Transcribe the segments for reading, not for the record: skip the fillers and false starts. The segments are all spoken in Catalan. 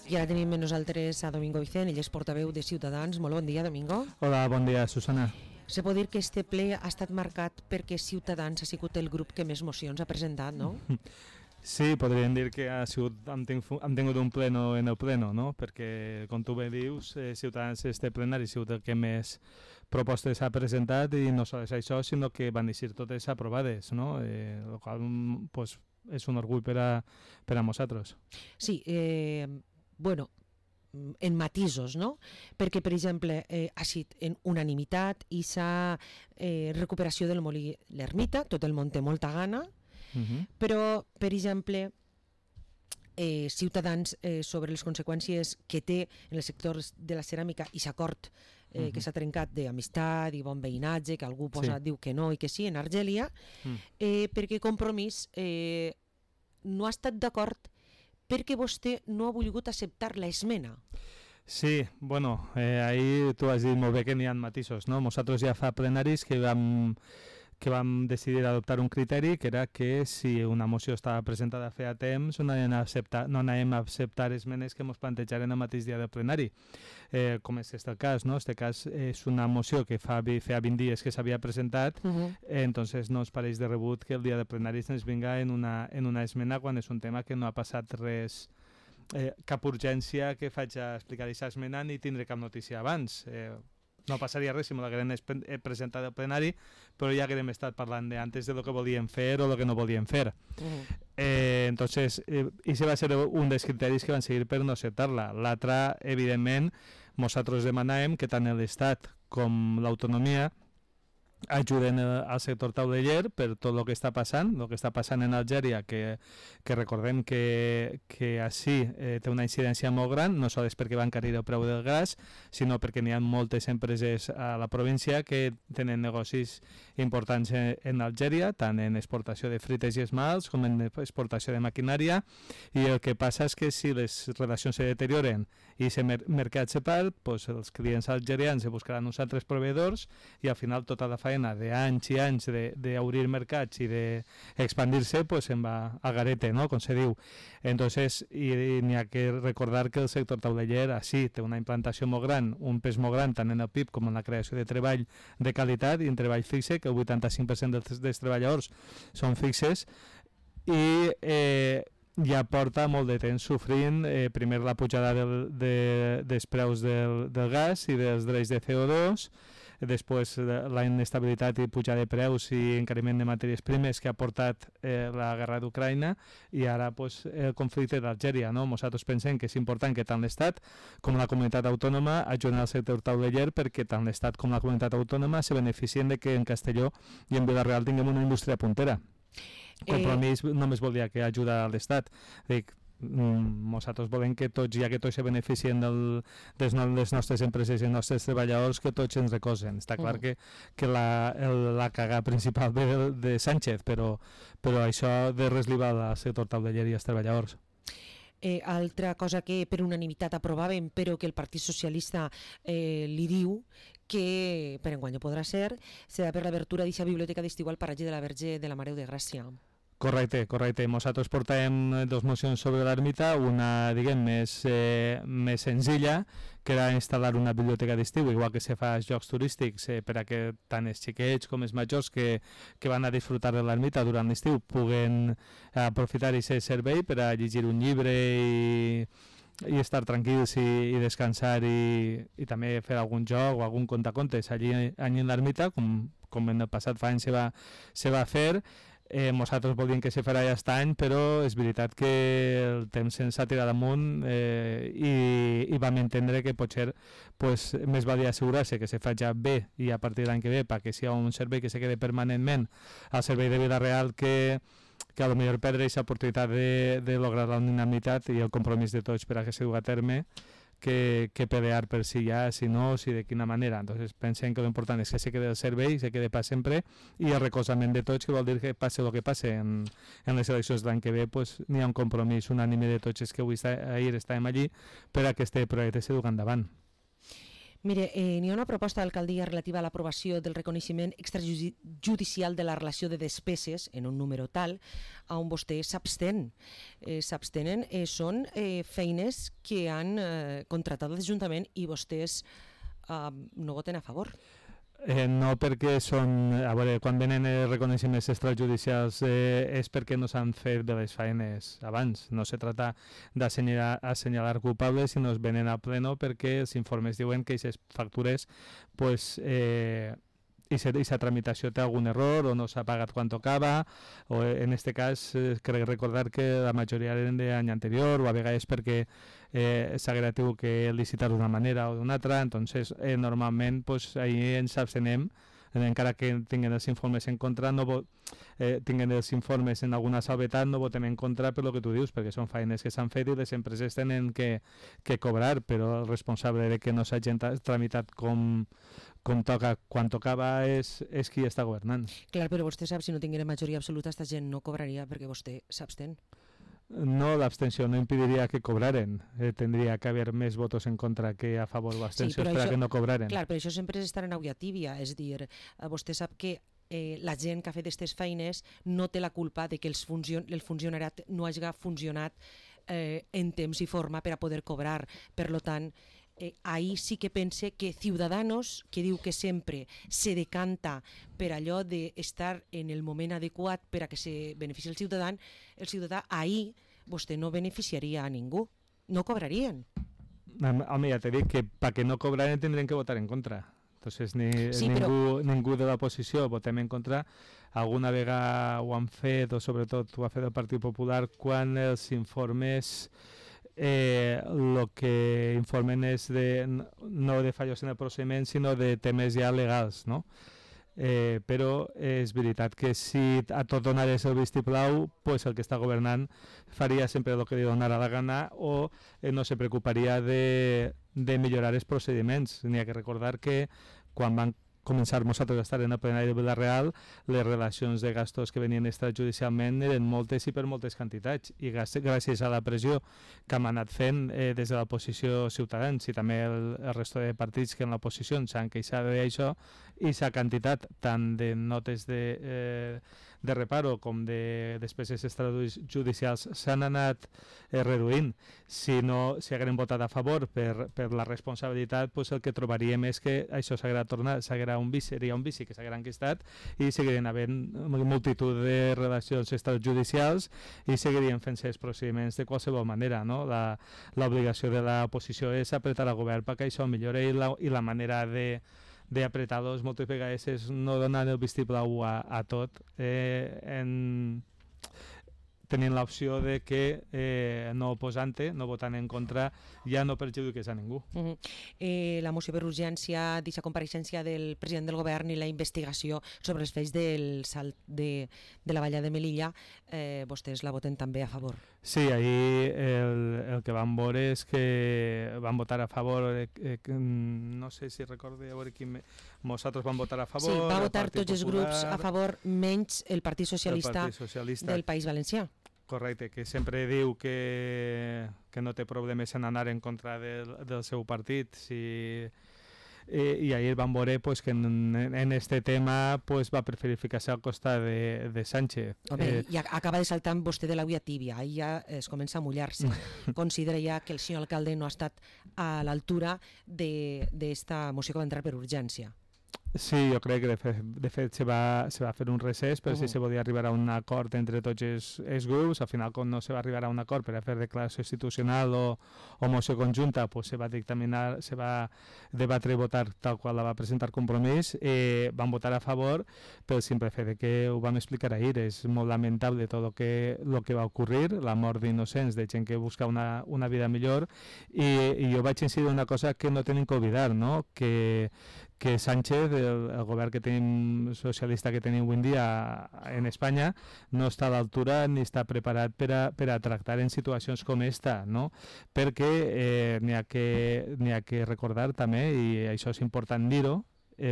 I ara tenim amb nosaltres a Domingo Vicent, ell és portaveu de Ciutadans. Molt bon dia, Domingo. Hola, bon dia, Susana. Se pot dir que este ple ha estat marcat perquè Ciutadans ha sigut el grup que més mocions ha presentat, no? Sí, podríem dir que hem tingut un pleno en el pleno, no? Perquè, com tu bé dius, Ciutadans este plenari ha sigut el que més propostes ha presentat i no sols això, sinó que van eixir totes aprovades, no? El qual pues, és un orgull per a nosaltres. Sí, bueno, en matisos, no? Perquè, per exemple, ha sigut en unanimitat i s'ha recuperació del molí l'Ermita, tot el món té molta gana, però, per exemple, Ciutadans sobre les conseqüències que té en el sector de la ceràmica i s'acord que s'ha trencat d'amistat i bon veïnatge, que algú diu que no i que sí, en Argèlia, perquè Compromís no ha estat d'acord perquè vostè no ha volgut acceptar l'esmena. Sí, bueno, ahir tu has dit molt bé que n'hi ha matisos, no? Nosaltres ja fa plenaris que vam decidir adoptar un criteri que era que si una moció estava presentada feia temps no anàvem a acceptar esmenes que ens plantejaren el mateix dia del plenari, com és el cas, no? Este cas és una moció que feia 20 dies que s'havia presentat, entonces no ens pareix de rebut que el dia del plenari ens vinga en una esmena quan és un tema que no ha passat res, cap urgència que faig a explicar aquesta esmena ni tindré cap notícia abans. No passaria res si me l'hagueren presentat al plenari, però ja haguem estat parlant antes de lo que volíem fer o lo que no volíem fer. Entonces, ese va ser un dels criteris que van seguir per no acceptar-la. L'altre, evidentment, nosaltres demanàvem que tant l'Estat com l'autonomia ajuden al sector tauleller per tot el que està passant en Algèria, que recordem que així té una incidència molt gran, no sols perquè va encarir el preu del gas, sinó perquè n'hi ha moltes empreses a la província que tenen negocis importants en Algèria, tant en exportació de frites i esmalts com en exportació de maquinària, i el que passa és que si les relacions se deterioren i el mercat se perd, doncs els clients algerians buscaran uns altres proveïdors i al final tota la feina d'anys i anys d'obrir mercats i d'expandir-se pues se'n va a garete, no? Com se diu. Entonces, i n'hi ha que recordar que el sector tauleller així té una implantació molt gran, un pes molt gran tant en el PIB com en la creació de treball de qualitat i en treball fixe, que el 85% dels treballadors són fixes, i ja porta molt de temps sofrint primer la pujada dels preus del gas i dels drets de CO2, després la inestabilitat i pujada de preus i encariment de matèries primes que ha portat la guerra d'Ucraïna i ara pues, el conflicte d'Algèria, no? Nosaltres pensem que és important que tant l'Estat com la comunitat autònoma ajuden al sector tauleller perquè tant l'Estat com la comunitat autònoma se beneficien de que en Castelló i en Vila-real tinguem una indústria puntera. Compromís només volia que ajuda a l'Estat. Dic, nosaltres volem que tots, ja que tots se beneficien de les nostres empreses i els nostres treballadors, que tots ens recolzen. Està clar que la cagada principal ve de Sánchez, però això de res li va al sector tauleller i als treballadors. Altra cosa que per unanimitat aprovàvem, però que el Partit Socialista li diu que per enguany podrà ser, serà per l'obertura d'aquesta biblioteca d'estiu al paratge de la Verge de la Mare de Gràcia. Correcte. Nosaltres portàvem dos mocions sobre l'ermita, una, diguem, més senzilla, que era instal·lar una biblioteca d'estiu, igual que se fa als llocs turístics, per a que tant els xiquets com els majors que van a disfrutar de l'ermita durant l'estiu puguen aprofitar aquest servei per a llegir un llibre i estar tranquils i descansar i també fer algun joc o algun contacontes allí en l'ermita, com en el passat fa anys se va fer. Nosaltres volíem que se farà aquest any, però és veritat que el temps ens ha tirat amunt i vam entendre que potser pues, més valia assegurar-se que se fa ja bé i a partir de l'any que ve perquè sigui un servei que se quede permanentment al servei de Vila-real que a lo millor perdre aquesta oportunitat de lograr la unanimitat i el compromís de tots per a que se dugui a terme que pelear per si ja, si no, si de quina manera. Entonces pensem que l'important és que se quede el servei, se quede per sempre i el recolzament de tots, que vol dir que passe el que passe en les eleccions de l'any que ve, pues, n'hi ha un compromís unànime de tots els que ahir estàvem allí per a que este projecte se dugui endavant. Mire, n'hi ha una proposta d'alcaldia relativa a l'aprovació del reconeixement extrajudicial de la relació de despeses en un número tal on vostès s'abstenen. Són feines que han contractat l'Ajuntament i vostès no voten a favor. No perquè són... A veure, quan venen reconeixements extrajudicials és perquè no s'han fet de les feines abans. No se trata d'assenyalar culpables, sinó es venen a pleno perquè els informes diuen que aquestes factures pues, aquesta tramitació té algun error o no s'ha pagat quan tocava, o en aquest cas crec recordar que la majoria eren d'any anterior o a vegades perquè s'haguera tingut que licitar d'una manera o d'una altra. Entonces normalment pues, ahí ens abstenem, encara que tinguin els informes en contra, tinguin els informes en alguna salvetat, no votem en contra per lo que tu dius, perquè són feines que s'han fet i les empreses tenen que cobrar, però el responsable de que no s'hagin tramitat com toca, quan tocava és qui està governant. Clar, però vostè sap, si no tinguera majoria absoluta, esta gent no cobraria perquè vostè s'abstén. No, l'abstenció no impediria que cobraren. Tindria que haver més votos en contra que a favor de l'abstenció que no cobraren. Clar, però això sempre és estar en aigua tibia. És dir, vostè sap que la gent que ha fet aquestes feines no té la culpa de que el funcionariat no hagi funcionat en temps i forma per a poder cobrar. Per tant, ahí sí que pense que Ciudadanos, que diu que sempre se decanta per allò d'estar en el moment adequat per a que se benefici el ciutadà, ahí vostè no beneficiaria a ningú, no cobrarien. Home, ja t'he dit que perquè no cobraren tindrien que votar en contra. Entonces ningú de l'oposició votem en contra. Alguna vegada ho han fet, o sobretot ho ha fet el Partit Popular, quan els informes el que informen és no de fallos en el procediment, sinó de temes ja legals, no? Però és veritat que si a tot donarés el vistiplau, pues el que està governant faria sempre el que li donarà la gana o no se preocuparia de millorar els procediments. N'hi ha que recordar que quan van començar nosaltres a estar en el plenari de Vila-real, les relacions de gastos que venien extrajudicialment eren moltes i per moltes quantitats, i gràcies a la pressió que hem anat fent des de l'oposició Ciutadans i també el resto de partits que en l'oposició s'han queixat d'això, i la quantitat tant de notes de reparo com de despeses extrajudicials s'han anat reduint. Si hagueren votat a favor per la responsabilitat, pues el que trobaríem és que això seria un vici que s'haguera enquistat i seguirien havent multitud de relacions extrajudicials i seguirien fent-se els procediments de qualsevol manera, no? L'obligació de l'oposició és apretar al govern perquè això millore, i la manera d'apretar-los moltes vegades és no donar el vistiplau a tot, tenint l'opció de que no oposant-te, no votant en contra, ja no perjudiques a ningú. La moció per urgència d'aquesta compareixença del president del govern i la investigació sobre els fets del salt de la valla de Melilla, vostès la voten també a favor? Sí, ahir el que vam veure és que van votar a favor, no sé si recordo, a veure quin... Nosaltres vam votar a favor... Sí, va votar tots els grups a favor, menys el Partit Socialista del País Valencià. Correcte, que sempre diu que no té problemes en anar en contra del seu partit. I ahir vam veure que en este tema va preferir ficar-se al costat de Sánchez. I acaba de saltar vostè de la via tibia, ahir ja es comença a mullar-se. Considera ja que el senyor alcalde no ha estat a l'altura d'esta moció que va entrar per urgència. Sí, jo crec que de fet se va fer un recés per si se podia arribar a un acord entre tots els grups. Al final, com no se va arribar a un acord per a fer declaració institucional o moció conjunta, se va dictaminar, se va debatre i votar tal qual la va presentar Compromís. Van votar a favor pel simple fet de que ho vam explicar ahir. És molt lamentable tot el que va ocorrir, la mort d'innocents, de gent que busca una vida millor, i jo vaig incidir en una cosa que no tenim que oblidar, no? Que Sánchez, el govern que tenim socialista que tenim avui en dia en Espanya, no està a l'altura ni està preparat per a tractar en situacions com esta, no? Perquè n'hi ha que recordar també, i això és important dir-ho,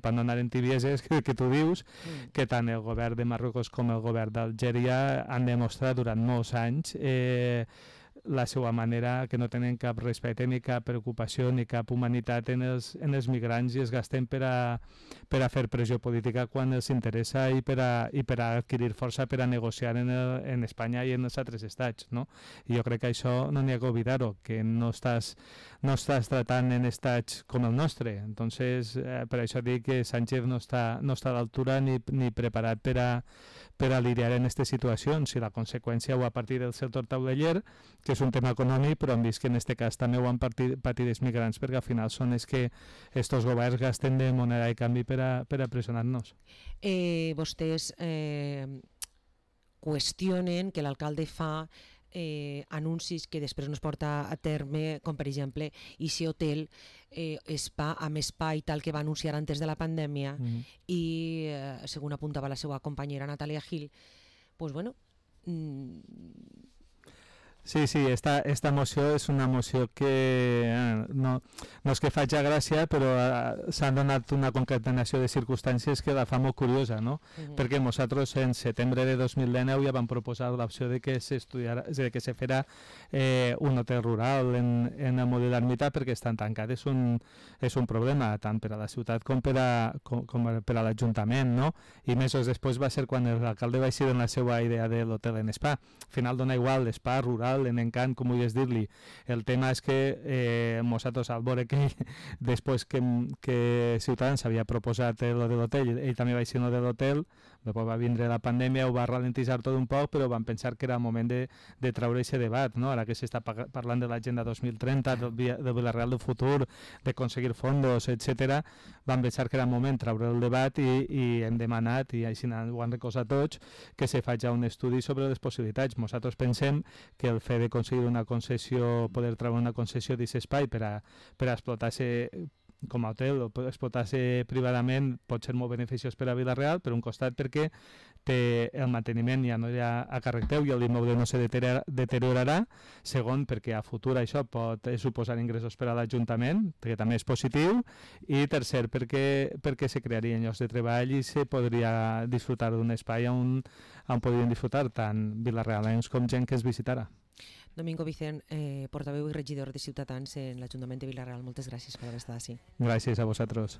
per no anar en tibieses, que tu dius que tant el govern de Marruecos com el govern d'Algèria han demostrat durant molts anys la seva manera, que no tenen cap respecte ni cap preocupació ni cap humanitat en els migrants i es gasten per a fer pressió política quan els interessa i per a adquirir força per a negociar en Espanya i en els altres estats, no? I jo crec que això no n'hi ha que oblidar-ho, que no estàs tratant en estats com el nostre. Entonces, per això dic que Sánchez no està a l'altura ni preparat per a lidiar en aquestes situacions, i la conseqüència ho a partir del sector tauleller, que és un tema econòmic, però hem vist que en aquest cas també ho han patit els migrants, perquè al final són els que estos governs gasten de moneda de canvi per a pressionar-nos. Vostès qüestionen que l'alcalde fa anuncis que després no es porta a terme, com per exemple ese hotel spa amb espai tal que va anunciar antes de la pandèmia i segons apuntava la seva companyera Natàlia Gil, pues bueno, Sí, esta moció és una moció que no és que faci gràcia, però s'han donat una concatenació de circumstàncies que la fa molt curiosa, no? Perquè nosaltres en setembre de 2019 ja vam proposar l'opció de que se fera un hotel rural en el model d'ermita, perquè estan tancats. És un problema tant per a la ciutat com per a l'Ajuntament, no? I mesos després va ser quan l'alcalde va eixir en la seva idea de l'hotel en spa. Al final dona igual l'espa rural, en encant, com vulguis dir-li. El tema és que nosaltres, al veure que després que Ciutadans havia proposat el de l'hotel, ell també va eixir de l'hotel, després va vindre la pandèmia, ho va ralentitzar tot un poc, però van pensar que era el moment de treure aquest debat, no? Ara que s'està parlant de l'agenda 2030, del Vilareal del futur, d'aconseguir fondos, etc., van pensar que era el moment de treure el debat i hem demanat, i així ho han recolzat tots, que se faci un estudi sobre les possibilitats. Nosaltres pensem que el fet d'aconseguir una concessió, poder treure una concessió d'aquest espai per a explotar-se com a hotel o explotar-se privadament pot ser molt beneficiós per a Vila-real, per un costat perquè té el manteniment ja no hi ha a càrrec teu i l'immoble no se deteriorarà, segon perquè a futur això pot suposar ingressos per a l'Ajuntament, que també és positiu, i tercer perquè se crearien llocs de treball i se podria disfrutar d'un espai on podrien disfrutar tant vilarealens com gent que es visitarà. Domingo Vicent, portaveu i regidor de Ciutadans en l'Ajuntament de Vila-real, moltes gràcies per haver estat així. Gràcies a vosaltres.